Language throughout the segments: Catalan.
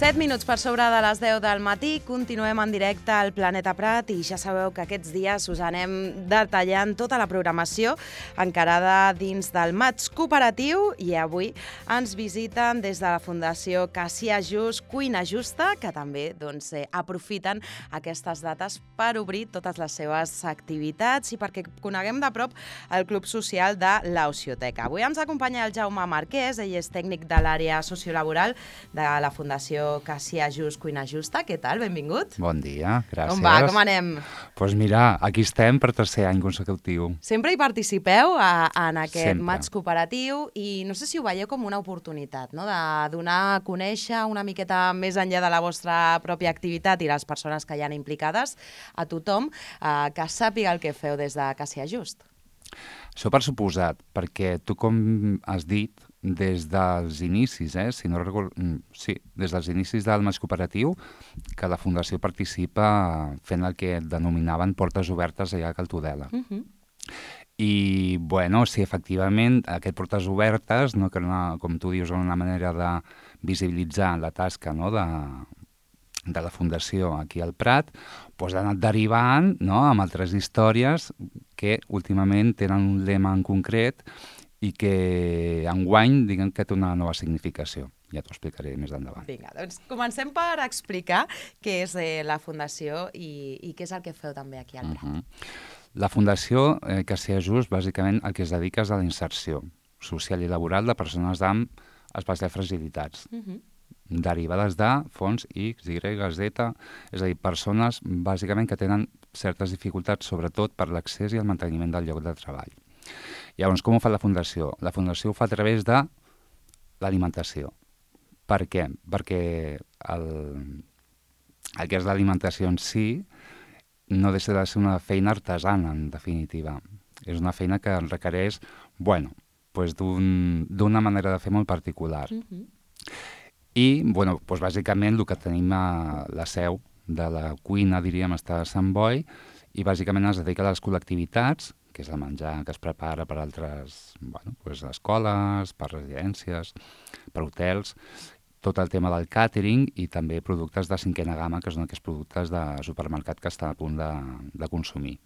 7 minuts per sobre de les 10 del matí, continuem en directe al Planeta Prat i ja sabeu que aquests dies us anem detallant tota la programació encarada dins del Maig Cooperatiu i avui ens visiten des de la Fundació Cassià Just, Cuina Justa, que també aprofiten aquestes dates per obrir totes les seves activitats i perquè coneguem de prop el Club Social de l'Ocioteca. Avui ens acompanya el Jaume Marquès, ell és tècnic de l'àrea sociolaboral de la Fundació Cassià Just, Cuina Justa. Què tal? Benvingut. Bon dia, gràcies. Com va? Com anem? Doncs mira, aquí estem per tercer any consecutiu. Sempre hi participeu en aquest Maig Cooperatiu i no sé si ho veieu com una oportunitat, no? De donar a conèixer una miqueta més enllà de la vostra pròpia activitat i les persones que hi han implicades, a tothom que sàpiga el que feu des de Cassià Just. Això per suposat, perquè tu, com has dit, des dels inicis, si no recordo, sí, des dels inicis del Maig Cooperatiu, que la Fundació participa fent el que denominaven portes obertes allà a Cal Tudela. I, bueno, sí, efectivament, aquest portes obertes, no, que com tu dius, una manera de visibilitzar la tasca, no, de la Fundació aquí al Prat, doncs ha anat derivant, no, amb altres històries que últimament tenen un lema en concret i que enguany diguem que té una nova significació. Ja t'ho explicaré més endavant. Vinga, doncs comencem per explicar què és la Fundació i què és el que feu també aquí al Prat. La Fundació Cassià Just, bàsicament, el que es dedica és a la inserció social i laboral de persones amb especials fragilitats, derivades de fons X, Y, Z, és a dir, persones bàsicament que tenen certes dificultats, sobretot per l'accés i el manteniment del lloc de treball. Llavors, com ho fa la Fundació? La Fundació ho fa a través de l'alimentació. Per què? Perquè el que és l'alimentació en si no deixa de ser una feina artesana, en definitiva. És una feina que requereix, d'una manera de fer molt particular. I, bàsicament, el que tenim a la seu de la cuina, diríem, està a Sant Boi, i bàsicament es dedica a les col·lectivitats, que és el menjar que es prepara per altres escoles, per residències, per hotels, tot el tema del càtering i també productes de cinquena gamma, que són aquests productes de supermercat que està a punt de consumir.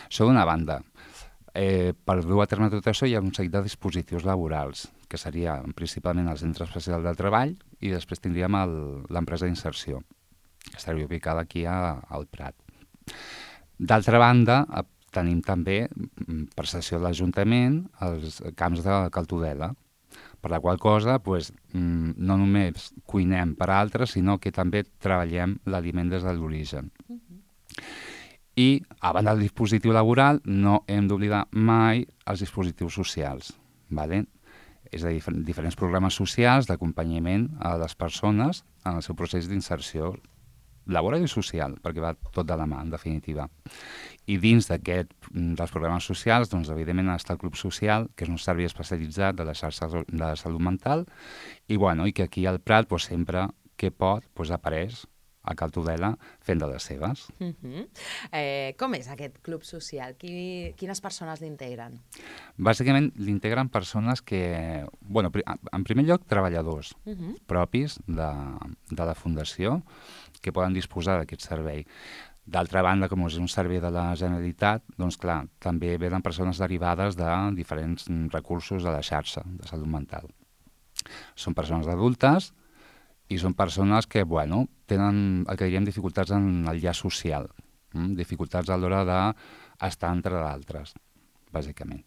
Això d'una banda. Per dur a terme tot això hi ha un seguit de dispositius laborals, que seria principalment el Centre Especial de Treball i després tindríem l'empresa d'inserció, que estaria ubicada aquí al Prat. D'altra banda, tenim també, per cessió de l'Ajuntament, els camps de Cal Tudela, per la qual cosa no només cuinem per a altres, sinó que també treballem l'aliment des de l'origen. I, a banda del dispositiu laboral, no hem d'oblidar mai els dispositius socials. És a dir, diferents programes socials d'acompanyament a les persones en el seu procés d'inserció laboral i social, perquè va tot de la mà, en definitiva. I dins dels programes socials, evidentment, està el Club Social, que és un servei especialitzat de la xarxa de salut mental, i que aquí al Prat, sempre que pot, apareix a Cal Tudela fent de les seves. Com és aquest Club Social? Quines persones l'integren? Bàsicament, l'integren persones que, en primer lloc, treballadors propis de la Fundació, que poden disposar d'aquest servei. D'altra banda, com és un servei de la Generalitat, també venen persones derivades de diferents recursos de la xarxa de salut mental. Són persones adultes i són persones que, tenen el que diríem dificultats en el llaç social, dificultats a l'hora d'estar entre d'altres, bàsicament.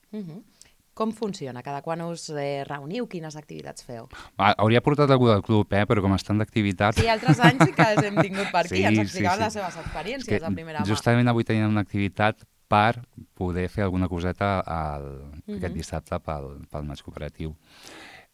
Com funciona? Cada quan us reuniu? Quines activitats feu? Hauria portat algú del club, però com estan d'activitat... Sí, altres anys sí que els hem tingut per aquí, ens explicaven les seves experiències de primera mà. Justament avui tenim una activitat per poder fer alguna coseta aquest dissabte pel Maig Cooperatiu.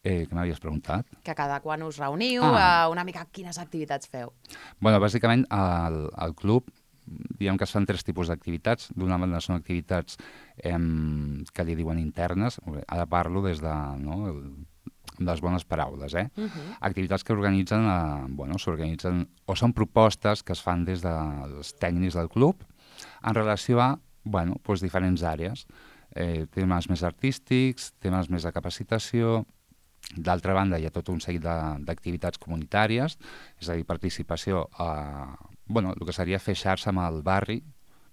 Què m'havies preguntat? Que cada quan us reuniu, una mica quines activitats feu? Bàsicament, al club, diguem que es fan 3 tipus d'activitats. D'una banda són activitats que li diuen internes, ara parlo des de les bones paraules, activitats que s'organitzen o són propostes que es fan des dels tècnics del club en relació a diferents àrees, temes més artístics, temes més de capacitació, D'altra banda, hi ha tot un seguit d'activitats comunitàries, és a dir, participació a el que seria fer xarxa amb el barri,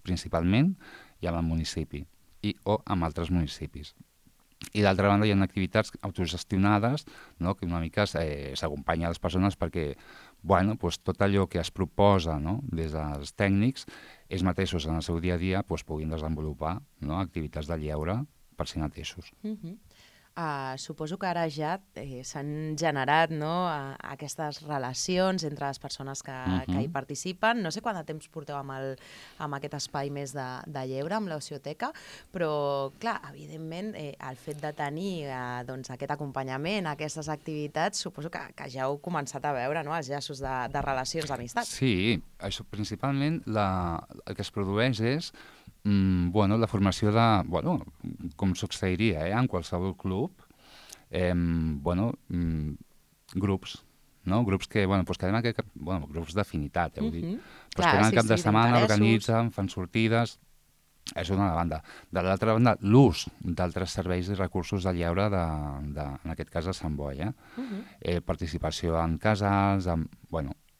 principalment, i amb el municipi, o amb altres municipis. I d'altra banda hi ha activitats autogestionades, no?, que una mica s'acompanya a les persones perquè tot allò que es proposa, no?, des dels tècnics, ells mateixos en el seu dia a dia puguin desenvolupar, no?, activitats de lleure per si mateixos. Suposo que ara ja s'han generat, no?, aquestes relacions entre les persones que hi participen. No sé quant de temps porteu amb aquest espai més de lleure, amb l'Ocioteca, però, clar, evidentment, el fet de tenir aquest acompanyament, aquestes activitats, suposo que ja heu començat a veure, no?, els llaços de relacions d'amistat. Sí, això principalment el que es produeix és la formació de, com succeiria en qualsevol club, grups, no? Grups que, grups d'afinitat, heu dit. Però es queden cap de setmana, organitzen, fan sortides, és una banda. De l'altra banda, l'ús d'altres serveis i recursos de lleure, en aquest cas de Sant Boi, participació en casals,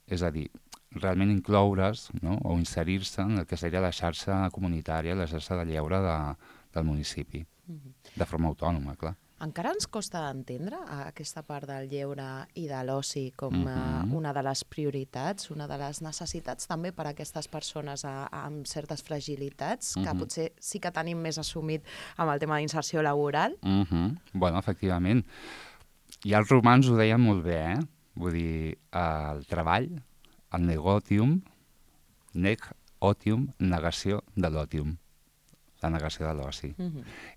és a dir, realment incloure's, no?, o inserir-se en el que seria la xarxa comunitària, la xarxa de lleure del municipi, de forma autònoma, clar. Encara ens costa d'entendre aquesta part del lleure i de l'oci com una de les prioritats, una de les necessitats també per a aquestes persones amb certes fragilitats, que potser sí que tenim més assumit amb el tema d'inserció laboral. Efectivament. I els romans ho deien molt bé, Vull dir, el treball, el negotium, negació de l'otium, la negació de l'oci.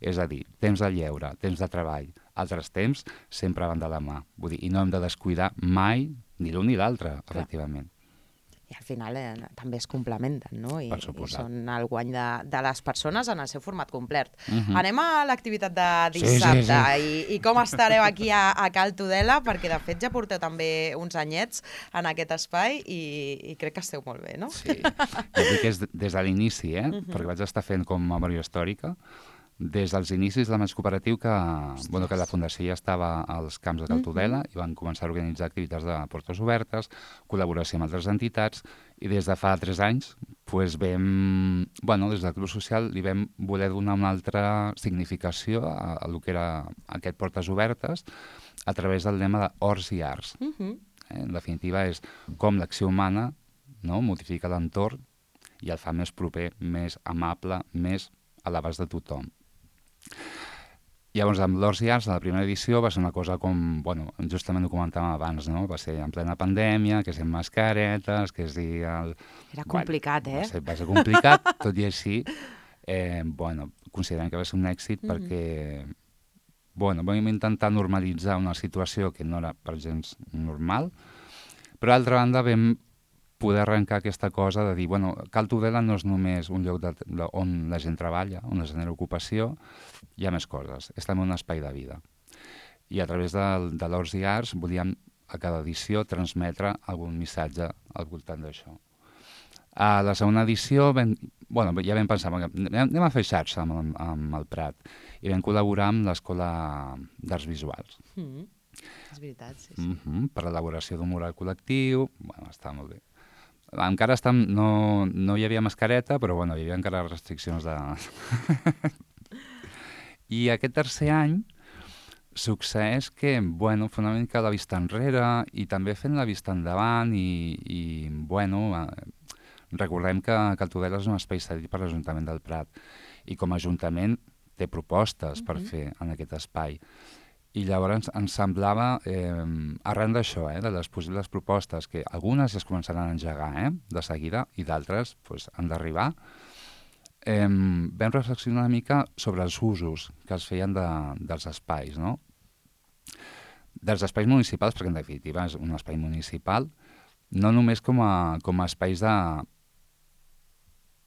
És a dir, temps de lleure, temps de treball, altres temps sempre van de la mà. Vull dir, i no hem de descuidar mai ni l'un ni l'altre, efectivament. I al final també es complementen, no? I són el guany de les persones en el seu format complet. Anem a l'activitat de dissabte. I com estareu aquí a Cal Tudela, perquè de fet ja porteu també uns anyets en aquest espai i crec que esteu molt bé, no? Sí, jo dic que és des de l'inici, perquè vaig estar fent com memòria històrica, des dels inicis del Maig Cooperatiu que la Fundació ja estava als camps de Cal Tudela i van començar a organitzar activitats de portes obertes, col·laboració amb altres entitats, i des de fa 3 anys des del Club Social li vam voler donar una altra significació a el que era aquest portes obertes a través del lema d'Horts i Arts. En definitiva és com l'acció humana modifica l'entorn i el fa més proper, més amable, més a l'abast de tothom. Llavors, amb l'Horts i Arts, la primera edició va ser una cosa com, justament ho comentàvem abans, no? Va ser en plena pandèmia, que és amb mascaretes, que és dir... Era complicat, Va ser complicat, tot i així, considerem que va ser un èxit perquè, vam intentar normalitzar una situació que no era per gens normal, però d'altra banda vam poder arrencar aquesta cosa de dir, Cal Tudela no és només un lloc on la gent treballa, on es genera ocupació, hi ha més coses, és també un espai de vida. I a través de l'Horts i Arts volíem a cada edició transmetre algun missatge al voltant d'això. A la segona edició ja vam pensar, anem a fer xarxa amb el Prat, i vam col·laborar amb l'Escola d'Arts Visuals. És veritat, sí. Per l'elaboració d'un mural col·lectiu, està molt bé. Encara no hi havia mascareta, però hi havia encara restriccions de... I aquest tercer any succeeix que, fer una mica la vista enrere i també fent la vista endavant i recordem que Cal Tudela és un espai cedit per l'Ajuntament del Prat i com a Ajuntament té propostes per fer en aquest espai. I llavors ens semblava, arran d'això, de les possibles propostes, que algunes ja es començaran a engegar de seguida i d'altres han d'arribar, vam reflexionar una mica sobre els usos que es feien dels espais, no? Dels espais municipals, perquè en definitiva és un espai municipal, no només com a espais de...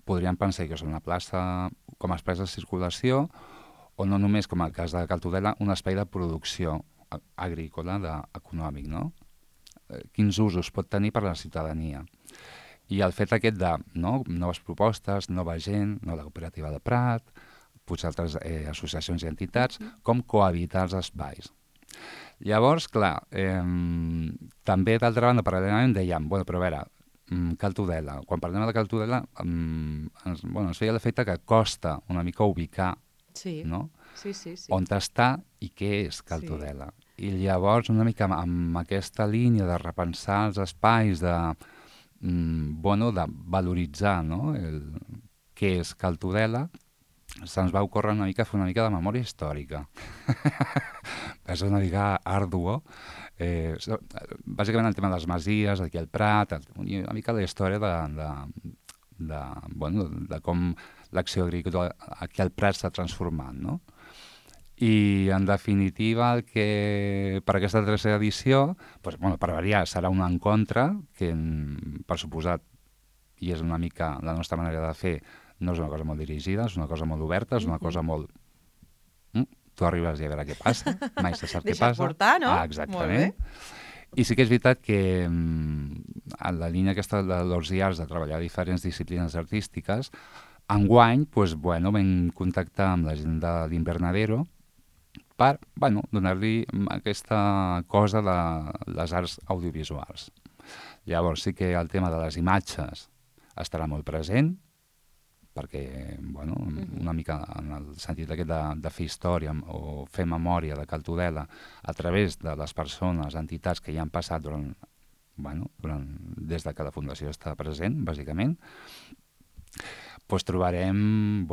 Podríem pensar que és una plaça, com a espais de circulació, o no només, com el cas de Cal Tudela, un espai de producció agrícola, econòmic, no? Quins usos pot tenir per a la ciutadania? I el fet aquest de noves propostes, nova gent, la cooperativa de Prat, potser altres associacions i entitats, com cohabitar els espais. Llavors, clar, també d'altra banda, paral·lelament dèiem, bueno, però a veure, Cal Tudela. Quan parlem de Cal Tudela, ens feia l'efecte que costa una mica ubicar, no? Sí. On està i què és Cal Tudela. I llavors, una mica amb aquesta línia de repensar els espais, de valoritzar, no? Què és Cal Tudela, se'ns va ocórrer una mica fer una mica de memòria històrica. És una mica arduo. Bàsicament el tema de les masies, aquí al Prat, una mica la història de com l'acció agrícola aquí al Prat s'ha transformat, no? I, en definitiva, el que per aquesta tercera edició, per variar, serà un encontre que, per suposat, i és una mica la nostra manera de fer, no és una cosa molt dirigida, és una cosa molt oberta, és una cosa molt... Tu arribes i a veure què passa, mai se sap què passa. Deixa't portar, no? Exactament. I sí que és veritat que en la línia aquesta dels IARS de treballar diferents disciplines artístiques, enguany vam contactar amb la gent de l'Invernadero per donar-li aquesta cosa de les arts audiovisuals. Llavors sí que el tema de les imatges estarà molt present, perquè, una mica en el sentit aquest de fer història o fer memòria de Cal Tudela a través de les persones, entitats que hi han passat des de que la Fundació està present, bàsicament, trobarem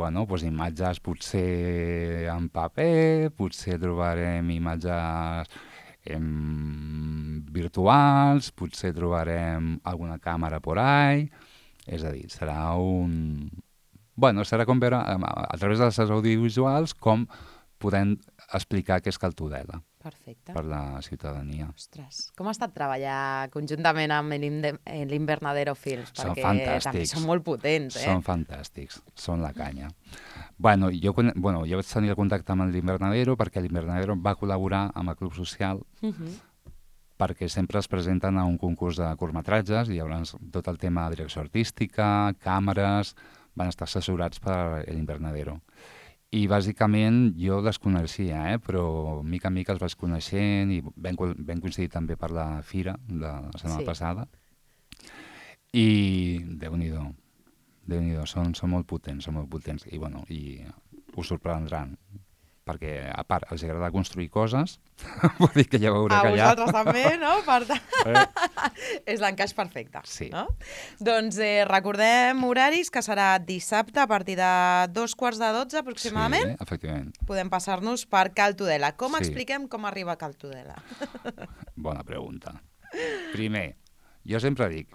imatges potser en paper, potser trobarem imatges virtuals, potser trobarem alguna càmera por ahí, és a dir, serà com veure a través de les audiovisuals com podem explicar què és Cal Tudela. Perfecte. Per la ciutadania. Ostres, com ha estat treballar conjuntament amb l'Invernadero Films? Són perquè fantàstics. també són molt potents, Són fantàstics, són la canya. Jo vaig tenir el contacte amb l'Invernadero perquè l'Invernadero va col·laborar amb el Club Social perquè sempre es presenten a un concurs de curtmetratges i llavors tot el tema de direcció artística, càmeres, van estar assessorats per l'Invernadero. I bàsicament jo les coneixia, però mica en mica els vaig coneixent i vam coincidir també per la fira de la setmana passada. I Déu-n'hi-do, són molt potents, i us sorprendran, perquè a part els agrada construir coses, vull dir que ja veureu que allà... A vosaltres també, no? Per tant, és l'encaix perfecte. Sí. No? Doncs recordem horaris, que serà dissabte a partir de 2:45 aproximadament. Sí, efectivament. Podem passar-nos per Cal Tudela. Com expliquem com arriba a Cal Tudela? Bona pregunta. Primer, jo sempre dic,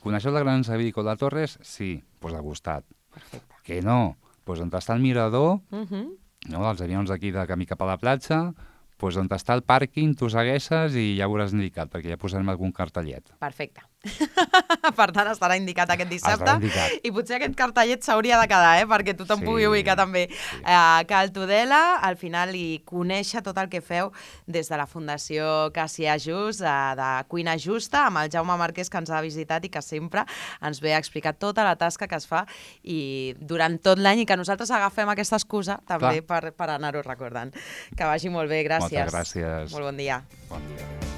coneixeu la Gran Avícola Torres? Sí, doncs al costat. Perfecte. Que no? Doncs on està el mirador, els avions d'aquí de camí cap a la platja, doncs on està el pàrquing, tu segueixes i ja veuràs indicat, perquè ja posarem algun cartellet. Perfecte. Per tant, estarà indicat aquest dissabte. Estarà indicat. I potser aquest cartellet s'hauria de quedar, perquè tothom pugui ubicar també Cal Tudela, al final, i conèixer tot el que feu des de la Fundació Cassià Just, de Cuina Justa, amb el Jaume Marquès, que ens ha visitat i que sempre ens ve a explicar tota la tasca que es fa i durant tot l'any, i que nosaltres agafem aquesta excusa també per anar-ho recordant. Que vagi molt bé, gràcies. Moltes gràcies. Molt bon dia. Bon dia.